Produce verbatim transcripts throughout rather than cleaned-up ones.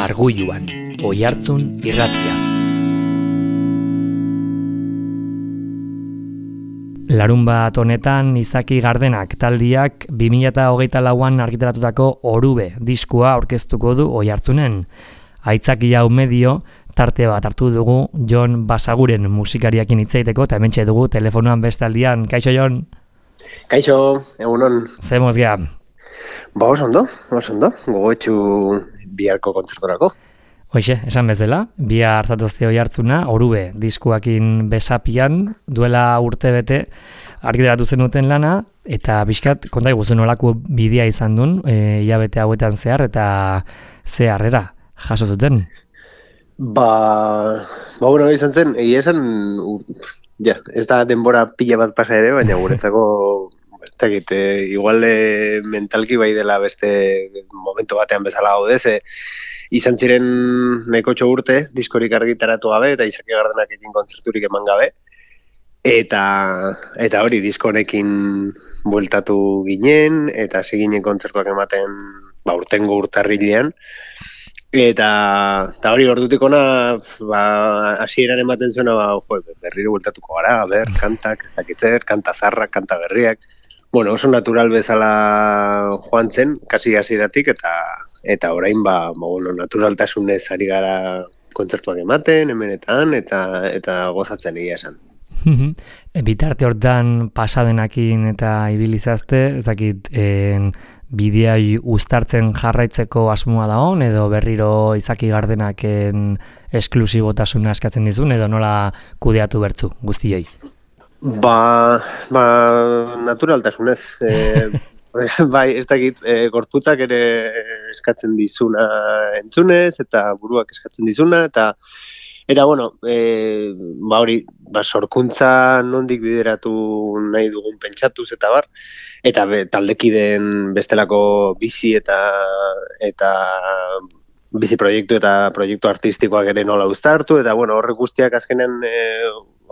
Arguluan, Oihartzun irratia. Larunbat honetan Izaki Gardenak taldiak bi mila hogeita lauan argitaratutako Orube diskua aurkeztuko du Oihartzunen. Aitzakia umedio tarte bat hartu dugu Jon Basaguren musikariakin hitz egiteko eta hementxe dugu telefonoan beste aldian. Kaixo Jon? Kaixo, egunon. Ze moz gea? Ba, oso ondo, oso ondo. Gogoetxu biharko kontzertorako. Hoixe, esan bezala, bihar zatozte Oihartzuna, Orube diskuakin besapian, duela urte bete argitaratu zenuten lana, eta bizkat, konta iguzu nolako bidea izan duen, e, hilabete hauetan zehar, eta ze harrera jaso zuten. Ba, ba bueno, izan zen, egia esan, ja, ez da denbora pila bat pasa ere, baina guretzako, ez dakit, e, igual e, mentalki bai dela beste momentu batean bezala gaude, ze izan ziren nahiko urte, diskorik argitaratu gabe, eta Izaki Gardenak ekin kontzerturik eman gabe. Eta, eta hori, disko honekin bueltatu ginen, eta hasi ginen kontzertuak ematen ba, urtengo urtarrilean. Eta, eta hori ordutik ona, ba, hasieran ematen zuena, ba, jo, berriro bueltatuko gara, ber, kantak, ezakitzer, kanta zarrak, kanta berriak. Bueno, oso natural bezala joan zen, kasi hasieratik, eta eta orain ba, ba bueno, naturaltasunez ari gara kontzertuak ematen, hemenetan, eta eta gozatzen egia esan. Bitarte hortan pasadenakin eta ibilizazte, ez dakit, en, bideai uztartzen jarraitzeko asmoa da hon, edo berriro Izaki Gardenaken esklusibotasuna eskatzen dizun, edo nola kudeatu bertzu guztioi? Ba, ba naturaltasunez, e, bai, ez dakit, e, gorputzak ere eskatzen dizuna entzunez, eta buruak eskatzen dizuna, eta eta bueno, e, ba hori, ba sorkuntza nondik bideratu nahi dugun pentsatuz eta bar, eta be, taldekideen bestelako bizi eta eta bizi proiektu eta proiektu artistikoak ere nola uztartu, eta bueno, horrek guztiak azkenean e,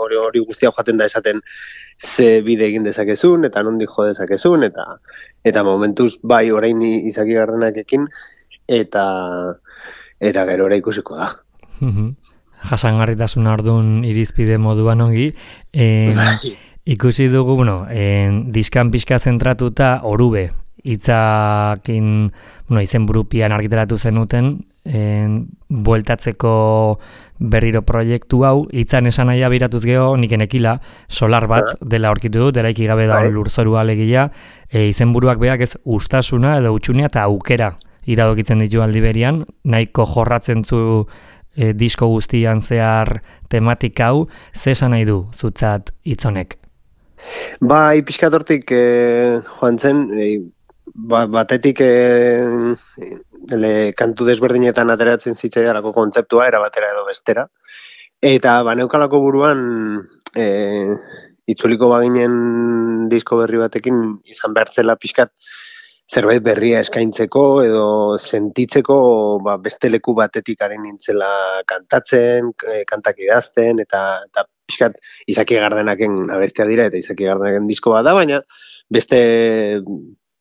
hori hori guztia joaten da esaten ze bide egin dezakezun, eta nondik jo dezakezun, eta eta momentuz bai orain Izaki Gardenakekin, eta eta gero ora ikusiko da. Jasangarritasuna orduan irizpide moduan ongi. En, ikusi dugu, bueno, en, diskan pixka zentratuta Orube, hitzakin, bueno, izen burupian argitaratu zenuten, en, bueltatzeko berriro proiektu hau, hitzan esan nahia biratuz geho, nik enekila, solar bat dela aurkitu dut, delaiki gabe da lurzorua alegia, e, izenburuak beak ez ustasuna edo utxunea eta aukera iradokitzen ditu aldiberian, nahiko jorratzen zu e, disko guztian zehar tematik hau, ze esan nahi du zutzat hitzonek? Ba, pixkat hortik e, joan zen, e, ba, batetik e, ele, kantu desberdinetan ateratzen zitzaidarako kontzeptua, era batera edo bestera. Eta baneukalako buruan e, itzuliko baginen disko berri batekin izan behartzela pixkat zerbait berria eskaintzeko edo sentitzeko ba, beste leku batetik ari nintzela kantatzen, e, kantak idazten, eta, eta pixkat Izaki Gardenaken abestea dira, eta Izaki Gardenaken disko bat da, baina beste...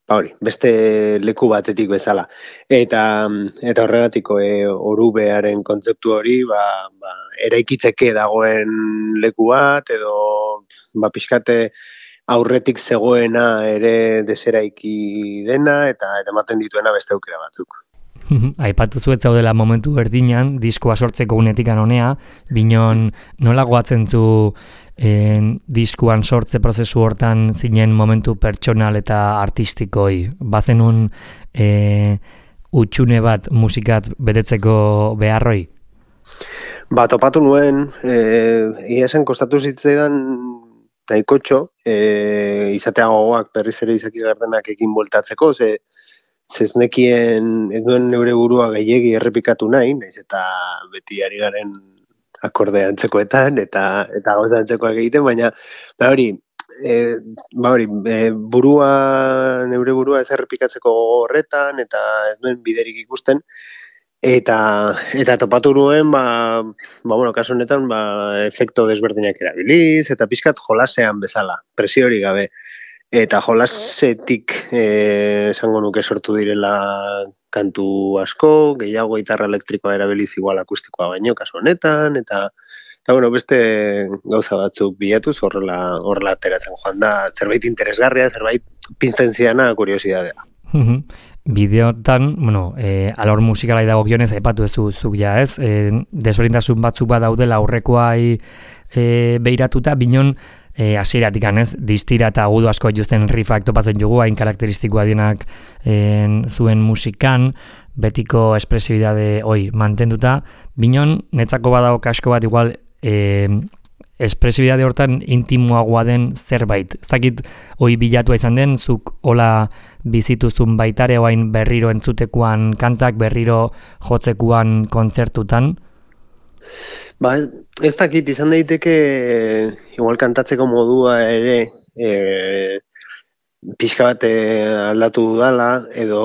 Ba hori, beste leku batetik bezala. Eta eta horregatiko e, Orubearen kontzeptu hori, ba, ba, eraikitzeke dagoen leku bat, edo ba, pixkate aurretik zegoena ere deseraiki dena, eta ematen dituena beste aukera batzuk. Aipatu zuet zaudela momentu berdinan, diskoa sortzeko unetik anonea, binon nola goatzen zu en, diskuan sortze prozesu hortan zinen momentu pertsonal eta artistikoi. Bazenun e, utxune bat musikat betetzeko beharroi? Ba, topatu nuen, e, ia zen kostatu zitzaidan nahikotxo, e, izatea gogoak berriz ere Izaki Gardenak ekin bueltatzeko, ze ez nekien, ez duen neure burua gehiegi errepikatu nahi, naiz eta beti ari garen akordea antzekoetan eta eta gauza antzekoak egiten, baina ba hori, e, ba hori, e, burua, neure burua ez errepikatzeko horretan, eta ez duen biderik ikusten, eta eta topatu nuen, ba, ba bueno, kasu honetan, ba, efekto desberdinak erabiliz, eta pixkat jolasean bezala, presio hori gabe. Eta jolasetik eh, esango nuke sortu direla kantu asko, gehiago gitarra elektrikoa erabiliz igual akustikoa baino kasu honetan, eta eta bueno, beste gauza batzuk bilatuz horrela horrela ateratzen joan da, zerbait interesgarria, zerbait pizten ziana kuriosidadea. Bideotan, bueno, e, alor musikalai dagokionez aipatu ez duzuk ja, ez? E, desberdintasun batzuk badaudela aurrekoai e, beiratuta, binon e, hasieratik ez, distira eta agudu asko justen riffak topatzen jugu, hain karakteristikoa dienak en, zuen musikan, betiko espresibidade hoi mantenduta, binon netzako badago kasko bat igual e, espresibidade hortan intimoagoa den zerbait. Ez dakit hoi bilatua izan den, zuk hola bizituzun baitare oain berriro entzutekoan kantak, berriro jotzekuan kontzertutan? Ba, ez dakit izan daiteke igual kantatzeko modua ere e, pixka bat aldatu dudala, edo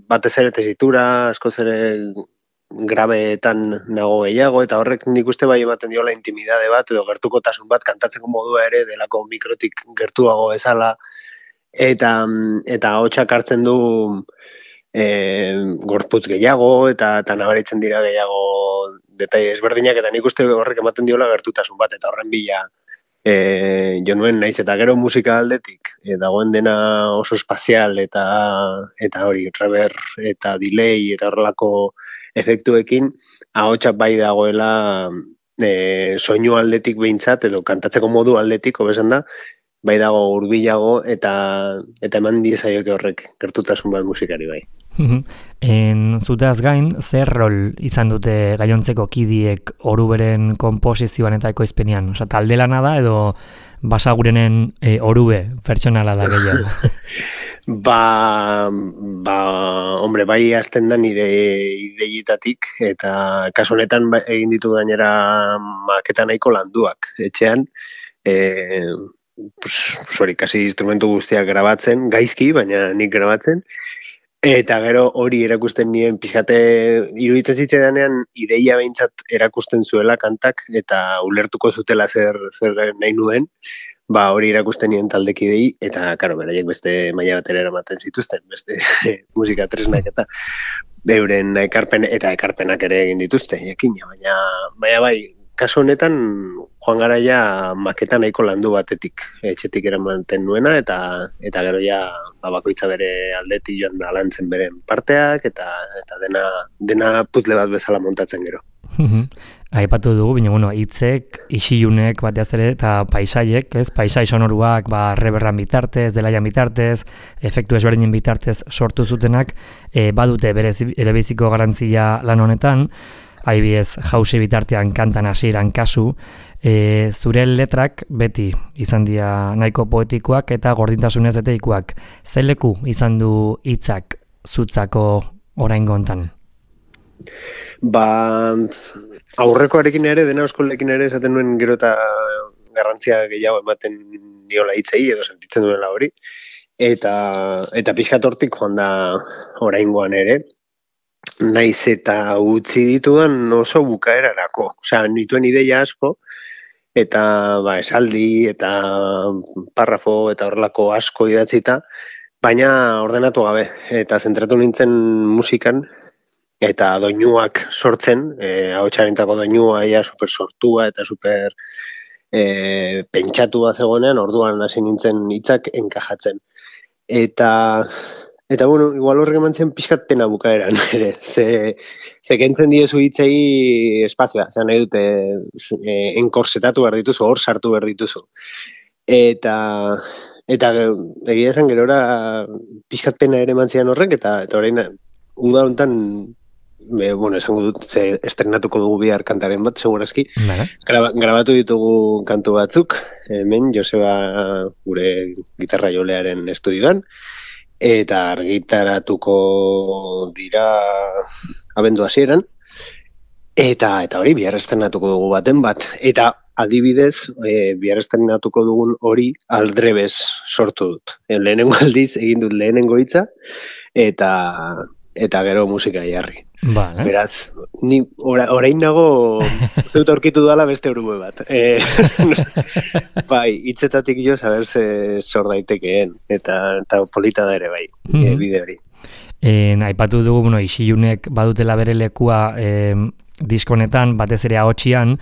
batez ere tesitura, askoz ere grabeetan nago gehiago, eta horrek nik uste bai ematen diola intimidade bat, edo gertukotasun bat kantatzeko modua ere delako mikrotik gertuago ezala, eta eta hotxak hartzen du e, gorputz gehiago, eta, eta nabaritzen dira gehiago detaile ezberdinak, eta nik uste horrek ematen diola gertutasun bat, eta horren bila e, jo nuen naiz, eta gero musika aldetik, e, dagoen dena oso espazial, eta eta hori, reverb, eta delay, eta horrelako efektuekin, ahotsak bai dagoela e, soinu aldetik behintzat, edo kantatzeko modu aldetik, hobesan da, bai dago hurbilago eta eta eman diezaioke horrek gertutasun bat musikari bai. En zuteaz gain, zer rol izan dute gainontzeko kidiek oruberen konposizioan eta ekoizpenean? Osa, talde lana da edo basagurenen e, orube pertsonala da gehiago? Ba, ba, hombre, bai hasten da nire ideietatik, eta kasu honetan egin ditu gainera maketa nahiko landuak etxean, e, pues, hori, kasi instrumentu guztiak grabatzen, gaizki, baina nik grabatzen, eta gero hori erakusten nien pixkate iruditzen zitzaidanean ideia behintzat erakusten zuela kantak, eta ulertuko zutela zer, zer nahi nuen, ba hori erakusten nien taldekidei, eta karo, beraiek beste maila batera eramaten zituzten, beste musika tresnak eta euren ekarpen eta ekarpenak ere egin dituzte, jakina, baina, baina bai, kasu honetan joan gara ja maketa nahiko landu batetik, etxetik eramaten nuena, eta eta gero ja ba, bakoitza bere aldetik joan da lantzen beren parteak, eta eta dena dena puzzle bat bezala montatzen gero. Aipatu dugu, baina bueno, hitzek, isilunek bateaz ere eta paisaiek, ez? Paisai sonoruak, ba reverran bitartez, delaian bitartez, efektu ezberdinen bitartez sortu zutenak, e, badute berez erebiziko garantzia lan honetan. Adibidez, jausi bitartean kantan hasieran kasu, e, zure letrak beti izan dira nahiko poetikoak eta gordintasunez beteikoak. Zein leku izan du hitzak zutzako oraingo hontan? Ba, aurrekoarekin ere, dena eskolekin ere esaten nuen gero eta garrantzia gehiago ematen niola hitzei edo sentitzen duela hori, eta eta pixkat hortik joan da oraingoan ere, naiz eta utzi ditudan oso bukaerarako. Osea, nituen ideia asko, eta ba, esaldi, eta parrafo, eta horrelako asko idatzita, baina ordenatu gabe, eta zentratu nintzen musikan, eta doinuak sortzen, e, ahotsarentzako doinua ia super sortua eta super e, pentsatua zegoenean, orduan hasi nintzen hitzak enkajatzen. Eta Eta, bueno, igual horrek eman zen pixkat pena bukaeran, ere. Ze, ze kentzen diezu hitzei espazioa, zean nahi dute e, enkorsetatu behar dituzu, hor sartu behar dituzu. Eta, eta egia esan gerora pixkat pena ere eman zian horrek, eta, eta orain, uda honetan, be, bueno, esango dut, ze estrenatuko dugu bihar kantaren bat, segurazki. Graba, grabatu ditugu kantu batzuk, hemen, Joseba gure gitarra jolearen estudioan, eta argitaratuko dira abendu hasieran, eta eta hori bihar estrenatuko dugu baten bat. Eta adibidez, e, bihar estrenatuko dugun hori aldrebes sortu dut. E, lehenengo aldiz egin dut lehenengo hitza, eta eta gero musika jarri. Vale. Beraz, ni ora, orain nago dut aurkitu dala beste urube bat. E, bai, hitzetatik jo saber ze sor daitekeen, eta, eta polita da ere bai, mm-hmm. e, bide hori. En, aipatu dugu, bueno, Isilunek badutela bere lekua e, diskonetan, batez ere ahotxian,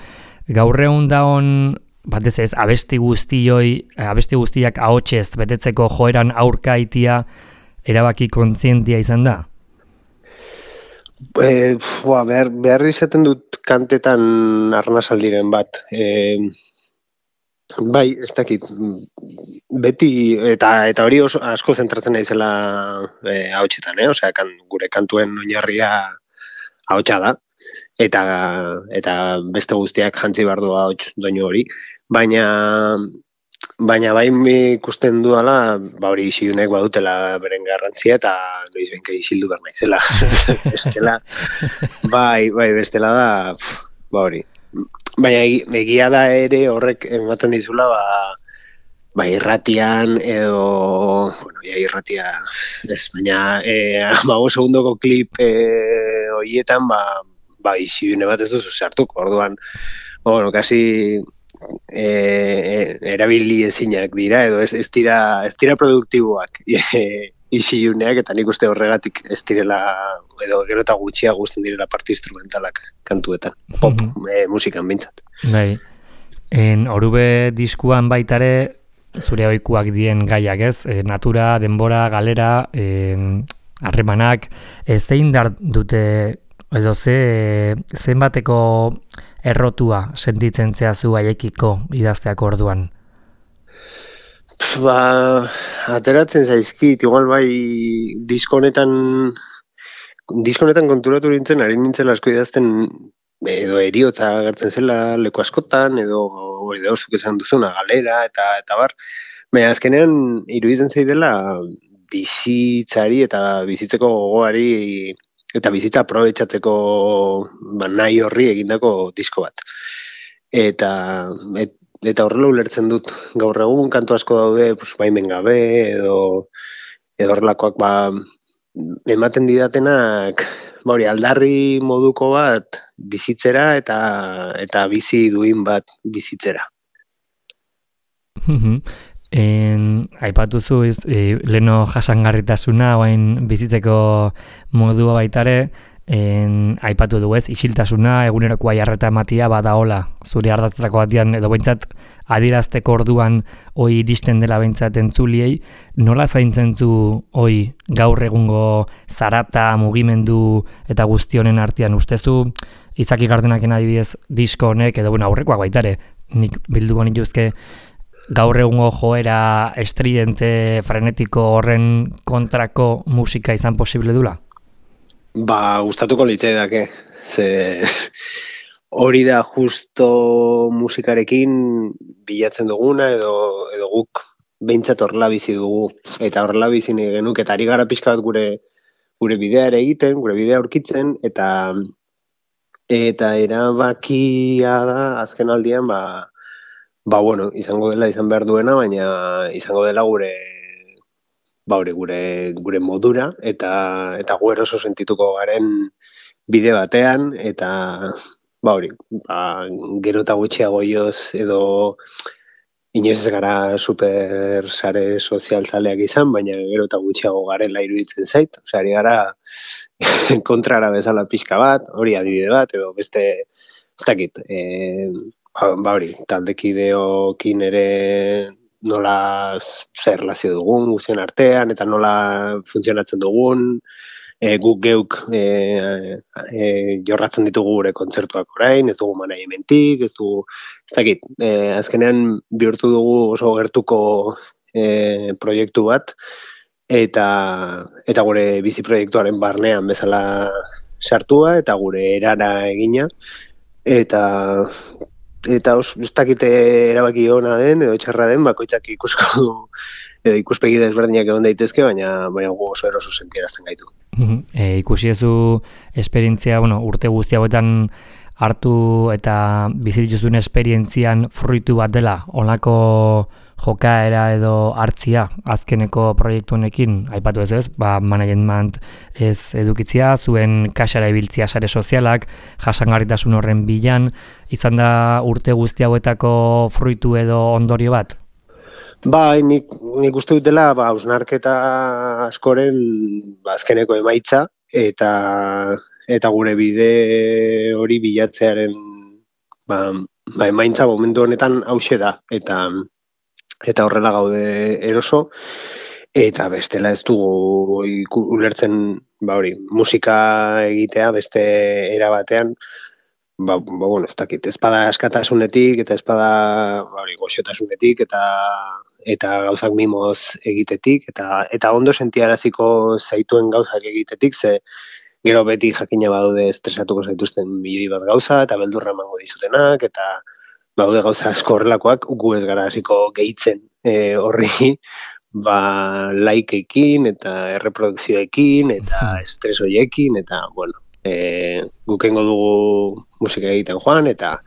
gaur egun daon, batez ez, abesti guztioi, abesti guztiak ahotsez betetzeko joeran aurka itia erabaki kontzientia izan da? E, bua, behar, behar izaten dut kantetan arnasaldiren bat. E, bai, ez dakit, beti, eta eta hori oso asko zentratzen naizela e, ahotsetan, eh? Osea, kan, gure kantuen oinarria ahotsa da, eta eta beste guztiak jantzi behar du ahots doinu hori, baina baina bai ikusten dudala, ba hori Isilunek badutela beren garrantzia eta noiz benka isildu behar naizela. Bestela, bai, bai, bestela da, pff, ba hori. Baina egia da ere horrek ematen dizula, ba, ba irratian edo, bueno, ja irratia, ez, baina e, hamabost segundoko klip e, horietan, ba, ba Isilune bat ez duzu sartuko, orduan, bueno, kasi e, erabili ezinak dira, edo ez, ez dira, ez dira produktiboak Isiluneak, eta nik uste horregatik ez direla, edo gero eta gutxia guztien direla parte instrumentalak kantuetan, pop e, musikan bintzat. Bai, en Orube diskuan baitare, zure ohikoak dien gaiak ez, e, natura, denbora, galera, harremanak, e, zein dar dute, edo ze, zenbateko errotua sentitzen zehazu haiekiko idazteako orduan? Ba, ateratzen zaizkit, igual bai diskonetan, diskonetan konturatu nintzen, ari nintzen asko idazten, edo eriotza agertzen zela leku askotan, edo edo zuk esan duzuna galera, eta eta bar. Baina azkenean iruditzen zaidela bizitzari eta bizitzeko gogoari eta bizitza aprobetxatzeko ba, nahi horri egindako disko bat. Eta et, eta horrela ulertzen dut gaur egun kantu asko daude, pues, baimen gabe edo edo horrelakoak ba, ematen didatenak ba hori aldarri moduko bat bizitzera eta eta bizi duin bat bizitzera. En, aipatuzu e, leno jasangarritasuna oain bizitzeko modua baitare, en, aipatu du ez, isiltasuna, eguneroko aiarreta ematia badaola, zure ardatzetako batian, edo behintzat adierazteko orduan hoi iristen dela behintzat entzuliei, nola zaintzen zu hoi gaur egungo zarata, mugimendu eta guztionen artean ustezu, Izaki Gardenaken adibidez disko honek, edo bueno, aurrekoak baitare, nik bilduko nituzke, gaur egungo joera estridente, frenetiko horren kontrako musika izan posible dula? Ba, gustatuko litzaidake. Ze hori da justo musikarekin bilatzen duguna edo edo guk behintzat horrela bizi dugu eta horrela bizi nahi genuk eta ari gara pixka bat gure gure bidea ere egiten, gure bidea aurkitzen eta eta erabakia da azken aldian ba ba bueno, izango dela izan behar duena, baina izango dela gure ba hori gure gure modura eta eta gu eroso sentituko garen bide batean eta ba hori, ba, gero eta gutxiago joz edo inoiz ez gara super sare sozialzaleak izan, baina gero eta gutxiago garela iruditzen zait, osea, ari gara kontrara bezala pixka bat, hori adibide bat, edo beste, ez dakit, e, ba, ba hori, taldekideokin ere nola zer relazio dugun guztien artean, eta nola funtzionatzen dugun, e, guk geuk e, e, jorratzen ditugu gure kontzertuak orain, ez dugu managementik, ez dugu, ez dakit, e, azkenean bihurtu dugu oso gertuko e, proiektu bat, eta eta gure bizi proiektuaren barnean bezala sartua, eta gure erara egina, eta eta os, ez dakite erabaki ona den, edo txarra den, bakoitzak ikusko du, edo ikuspegi desberdinak egon daitezke, baina baina gu oso eroso sentierazten gaitu. E, ikusi ezu esperientzia, bueno, urte guzti hauetan hartu eta bizi dituzun esperientzian fruitu bat dela, honako jokaera edo hartzia azkeneko proiektu honekin, aipatu ez ez, ba, management ez edukitzia, zuen kaxara ibiltzia sare sozialak, jasangarritasun horren bilan, izan da urte guzti hauetako fruitu edo ondorio bat? Bai, nik, nik uste dutela, ba, ausnarketa askoren ba, azkeneko emaitza, eta eta gure bide hori bilatzearen ba, ba emaitza momentu honetan hauxe da, eta eta horrela gaude eroso, eta bestela ez dugu iku- ulertzen, ba hori, musika egitea beste era batean, ba, ba bueno, ez dakit, ez bada askatasunetik, eta ez bada ba, hori, goxotasunetik, eta eta gauzak mimoz egitetik, eta eta ondo sentiaraziko zaituen gauzak egitetik, ze gero beti jakina badaude estresatuko zaituzten milioi bat gauza, eta beldurra emango dizutenak, eta baude gauza asko horrelakoak, gu ez gara hasiko gehitzen e, horri, ba, likeekin, eta erreprodukzioekin, eta estres horiekin, eta, bueno, e, gukengo dugu musika egiten joan, eta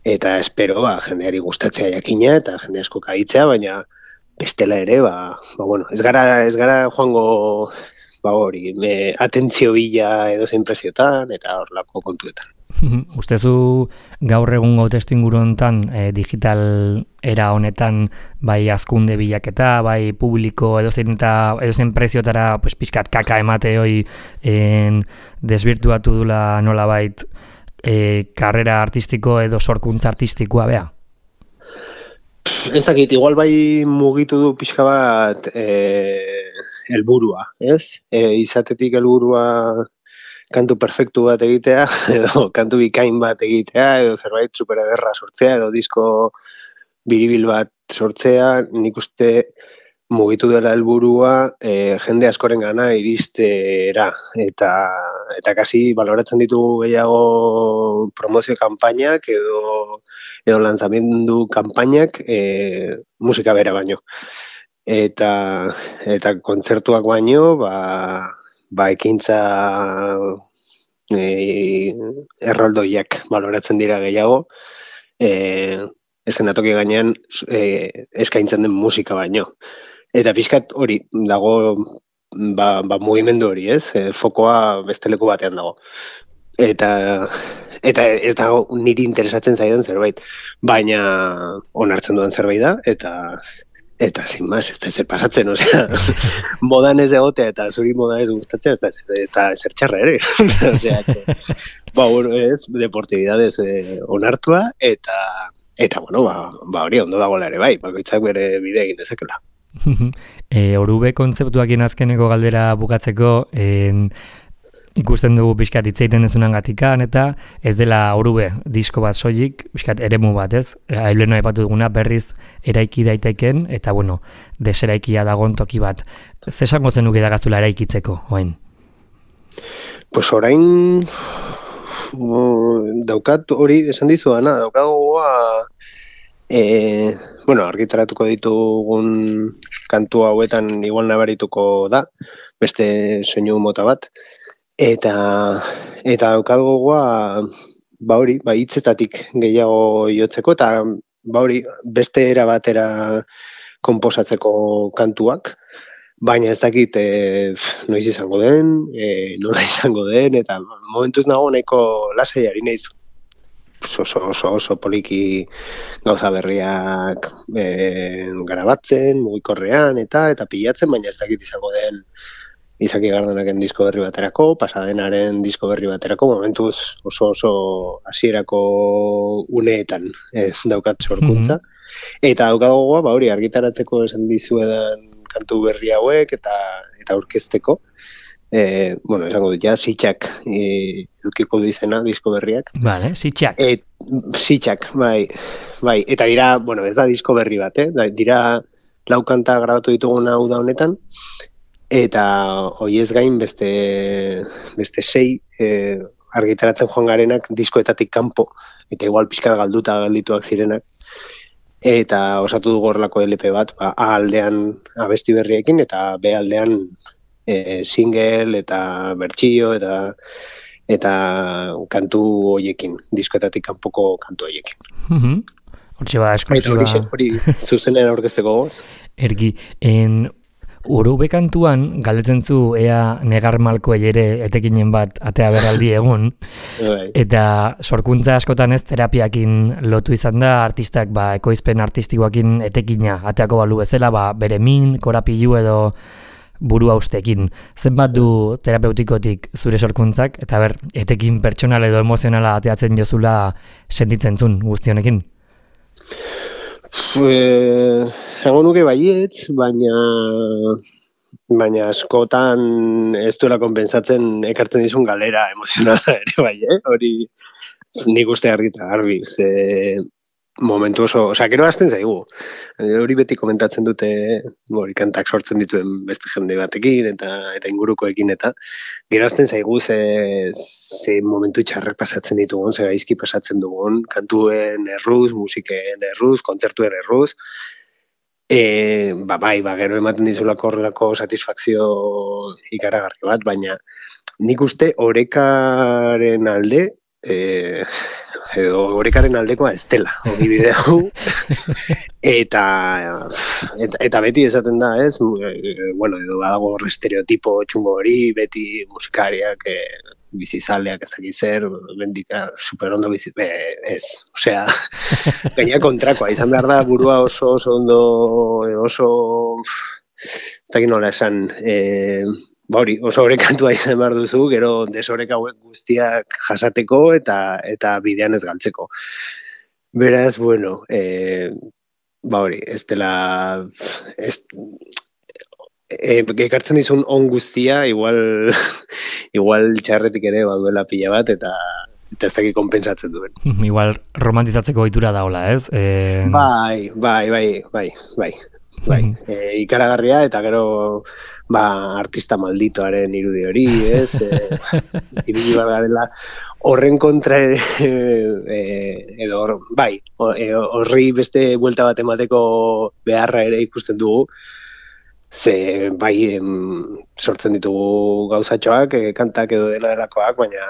eta espero, ba, jendeari gustatzea jakina, eta jende asko kaitzea, baina bestela ere, ba, ba bueno, ez gara, ez gara joango, ba hori, me, atentzio bila edo zein preziotan, eta horrelako kontuetan. Ustezu gaur egungo testu inguru honetan e, digital era honetan bai hazkunde bilaketa, bai publiko edozein eta edozein preziotara pues pizkat kaka emate hoi en desbirtuatu dula nolabait e, karrera artistiko edo sorkuntza artistikoa bea. Ez dakit, igual bai mugitu du pixka bat eh helburua, ez? E, izatetik helburua kantu perfektu bat egitea, edo kantu bikain bat egitea, edo zerbait super ederra sortzea, edo disko biribil bat sortzea, nik uste mugitu dela helburua e, jende askorengana iristera, eta eta kasi baloratzen ditugu gehiago promozio kanpainak edo edo lanzamendu kanpainak e, musika bera baino. Eta eta kontzertuak baino, ba ba ekintza e, erraldoiak baloratzen dira gehiago, e, eszenatoki gainean e, eskaintzen den musika baino. Eta pixkat hori dago ba, ba mugimendu hori, ez? E, fokoa beste leku batean dago. Eta eta ez dago niri interesatzen zaidan zerbait, baina onartzen duen zerbait da, eta eta sin más, ez da zer pasatzen, osea, modan ez egotea eta zuri moda ez gustatzea, eta, eta zer txarra ere, osea, que, ba, bueno, ez, deportibidadez eh, onartua, eta, eta, bueno, ba, ba hori ondo dagoela ere bai, bakoitzak bere bide egin dezakela. e, Orube kontzeptuakien azkeneko galdera bukatzeko, en, ikusten dugu pixkat hitzeiten dezunan gatikan, eta ez dela Orube disko bat soilik, pixkat eremu bat, ez? Aileno aipatu duguna berriz eraiki daiteken, eta bueno, deseraikia dagon toki bat. Ze esango zenuke dagazula eraikitzeko, oain? Pues orain daukat hori esan dizuana, daukat gogoa e, bueno, argitaratuko ditugun kantu hauetan igual nabarituko da, beste soinu mota bat, eta eta daukat gogoa ba hori, ba hitzetatik gehiago jotzeko, eta ba hori, beste era batera konposatzeko kantuak, baina ez dakit e, noiz izango den, e, nola izango den, eta momentuz nago nahiko lasai ari naiz oso, oso, oso poliki gauza berriak e, garabatzen, mugikorrean, eta eta pilatzen, baina ez dakit izango den Izaki Gardenaken disko berri baterako, Pasadenaren disko berri baterako, momentuz oso oso hasierako uneetan eh, daukat sorkuntza. Mm-hmm. Eta daukat gogoa, ba hori argitaratzeko esan dizuedan kantu berri hauek eta eta aurkezteko. Eh, bueno, esango dut ja sitxak eh, edukiko du izena disko berriak. Vale, sitxak. Et sitxak, bai. Bai, eta dira, bueno, ez da disko berri bat, eh? Dira lau kanta grabatu dituguna hau da honetan. Eta hoiez gain beste beste sei eh, argitaratzen joan garenak diskoetatik kanpo, eta igual pixka galduta galdituak zirenak. Eta osatu dugu horrelako L P bat, ba, A aldean abesti berriekin, eta B aldean e, single eta bertsio eta eta kantu hoiekin, diskoetatik kanpoko kantu hoiekin. Mhm. Hortxe ba, esklusiba. Eta hori, hori zuzenen aurkezteko goz. Ergi, en Urube kantuan, galdetzen zu ea negar malkoei ere etekinen bat atea berraldi egun, eta sorkuntza askotan ez terapiakin lotu izan da, artistak ba, ekoizpen artistikoakin etekina ateako balu bezala, ba, bere min, korapilu edo buru haustekin. Zenbat du terapeutikotik zure sorkuntzak, eta ber, etekin pertsonal edo emozionala ateatzen jozula sentitzen zun guztionekin? Zango nuke baietz, baina baina askotan ez duela konpensatzen ekartzen dizun galera emozionala ere bai, eh? Hori nik uste argita garbi, ze momentu oso, osea, gero hasten zaigu. Hori beti komentatzen dute, hori kantak sortzen dituen beste jende batekin eta eta ingurukoekin eta gero hasten zaigu ze, ze momentu txarrak pasatzen ditugun, ze gaizki pasatzen dugun, kantuen erruz, musiken erruz, kontzertuen erruz. E, ba, bai, ba, gero ematen dizulako horrelako satisfakzio ikaragarri bat, baina nik uste orekaren alde, e, edo orekaren aldekoa ez dela, hori bideu, eta, eta, eta beti esaten da, ez, e, bueno, edo badago estereotipo txungo hori, beti musikariak, e, bizizaleak ez dakit zer, bendika superondo bizit, be, ez, osea, gaina kontrakoa, izan behar da burua oso, oso ondo, oso, ez dakit nola esan, e, ba hori, oso orekantua izan behar duzu, gero desoreka hauek guztiak jasateko eta eta bidean ez galtzeko. Beraz, bueno, e, ba hori, ez dela, ez, e, ekartzen dizun on guztia, igual, igual txarretik ere baduela pila bat, eta eta ez dakit konpensatzen duen. Igual romantizatzeko ohitura daola, ez? E... Bai, bai, bai, bai, bai. Bai, e, ikaragarria eta gero ba, artista malditoaren irudi hori, ez? E, irudi garela horren kontra ere, e, edo hor, bai, horri beste buelta bat emateko beharra ere ikusten dugu, ze bai em, sortzen ditugu gauzatxoak, e, kantak edo dela delakoak, baina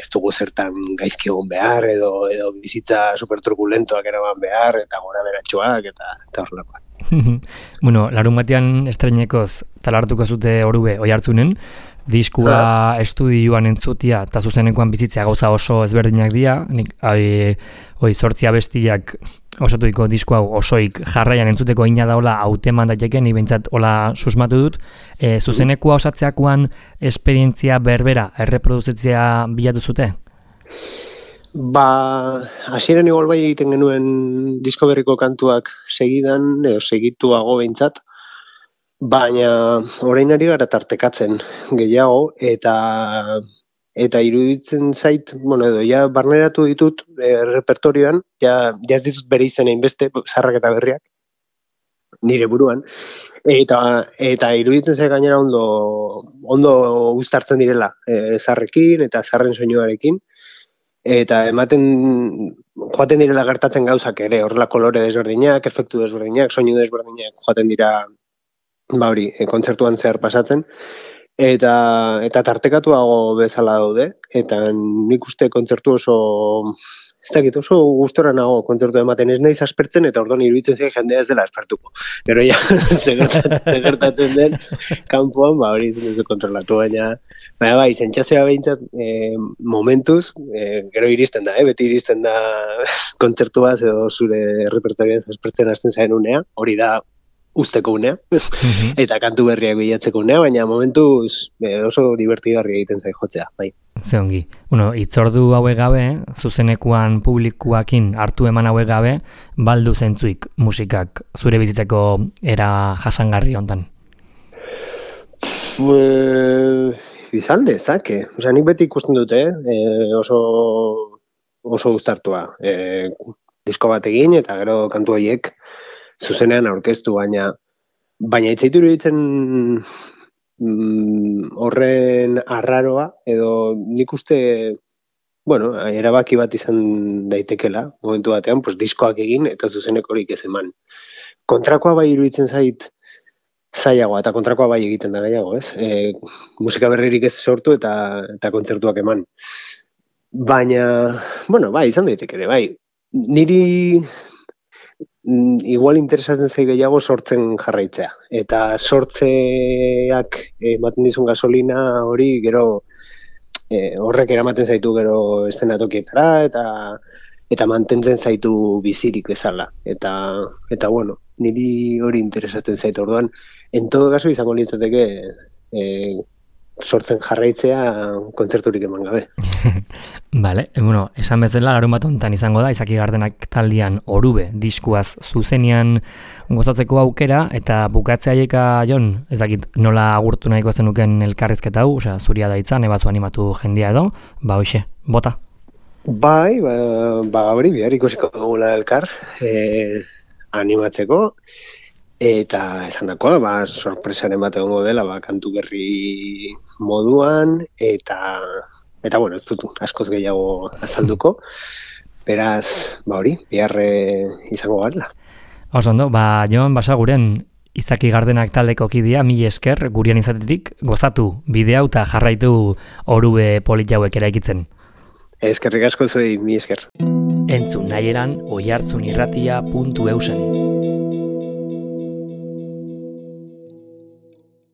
ez dugu zertan gaizki egon behar, edo, edo bizitza superturbulentoak eraman behar, eta gora beratxoak, eta, eta horrelakoak. Bueno, larun batean estreinekoz talartuko zute Orube Oihartzunen, diskua ah. estudioan entzutia eta zuzenekoan bizitzea gauza oso ezberdinak dira, nik ai, oi zortzia bestiak osatuiko disko hau osoik jarraian entzuteko ina daola hauteman daiteke, ni behintzat hola susmatu dut, e, zuzenekoa osatzeakoan esperientzia berbera, erreproduzitzea bilatu zute? Ba, hasieran igual bai egiten genuen disko berriko kantuak segidan, edo segituago behintzat, baina orain ari gara tartekatzen gehiago, eta eta iruditzen zait, bueno, edo ja barneratu ditut e, repertorioan, ja, ja ez ditut bere izen hainbeste, zaharrak eta berriak, nire buruan, eta eta iruditzen zait gainera ondo, ondo uztartzen direla, e, zaharrekin eta zaharren soinuarekin, eta ematen joaten direla gertatzen gauzak ere, horrela kolore desberdinak, efektu desberdinak, soinu desberdinak joaten dira ba hori, e, kontzertuan zehar pasatzen, eta eta tartekatuago bezala daude, eta nik uste kontzertu oso, ez dakit, oso gustora nago kontzertu ematen, ez naiz aspertzen, eta orduan iruditzen zen jendea ez dela aspertuko. Gero ja, zegertatzen den, kanpoan, ba hori izan duzu kontrolatu, baina, baina bai, sentsazioa behintzat, e, momentuz, e, gero iristen da, eh? Beti iristen da kontzertuaz edo zure repertorioan aspertzen hasten zaren unea, hori da usteko unea, mm-hmm. eta kantu berriak bilatzeko unea, baina momentuz e, oso divertigarria egiten zai jotzea, bai. Ze ongi. Bueno, itzordu hauek gabe, zuzenekuan publikuakin hartu eman hauek gabe, baldu zentzuik musikak zure bizitzeko era jasangarri hontan? E, izan dezake. Osea, nik beti ikusten dute, eh? e, oso, oso gustartua. E, disko bat egin eta gero kantu horiek zuzenean aurkeztu, baina baina itzaitu iruditzen mm, horren arraroa, edo nik uste, bueno, erabaki bat izan daitekela, momentu batean, pues, diskoak egin eta zuzenekorik ez eman. Kontrakoa bai iruditzen zait zailagoa, eta kontrakoa bai egiten da gehiago, ez? E, musika berririk ez sortu eta eta kontzertuak eman. Baina, bueno, bai, izan daiteke ere, bai. Niri igual interesatzen zai gehiago sortzen jarraitzea. Eta sortzeak ematen dizun gasolina hori gero e, horrek eramaten zaitu gero eszenatokietara eta eta mantentzen zaitu bizirik bezala. Eta, eta bueno, niri hori interesatzen zaitu orduan. En todo caso izango litzateke e, sortzen jarraitzea kontzerturik eman gabe. Vale, bueno, esan bezala larun bat hontan izango da, Izaki Gardenak taldean Orube diskuaz zuzenean gozatzeko aukera, eta bukatzea aieka, Jon, ez dakit nola agurtu nahiko zenuken elkarrizketa hau, osea, zuria daitza, nebazu animatu jendia edo, ba hoxe, bota. Bai, ba, ba hori bihar ikusiko dugula elkar, e, animatzeko, eta esan dakoa, ba, sorpresaren bat egongo dela, ba, kantu berri moduan, eta, eta bueno, ez dut askoz gehiago azalduko, beraz, ba hori, biharre izango garela. Oso ondo, ba, Jon Basaguren, Izaki Gardenak taldeko kidea, mila esker, gurian izatetik, gozatu, bidea eta jarraitu Orube polit hauek eraikitzen. Eskerrik asko zuei, mila esker. Entzun nahi eran, oihartzunirratia puntu eusen.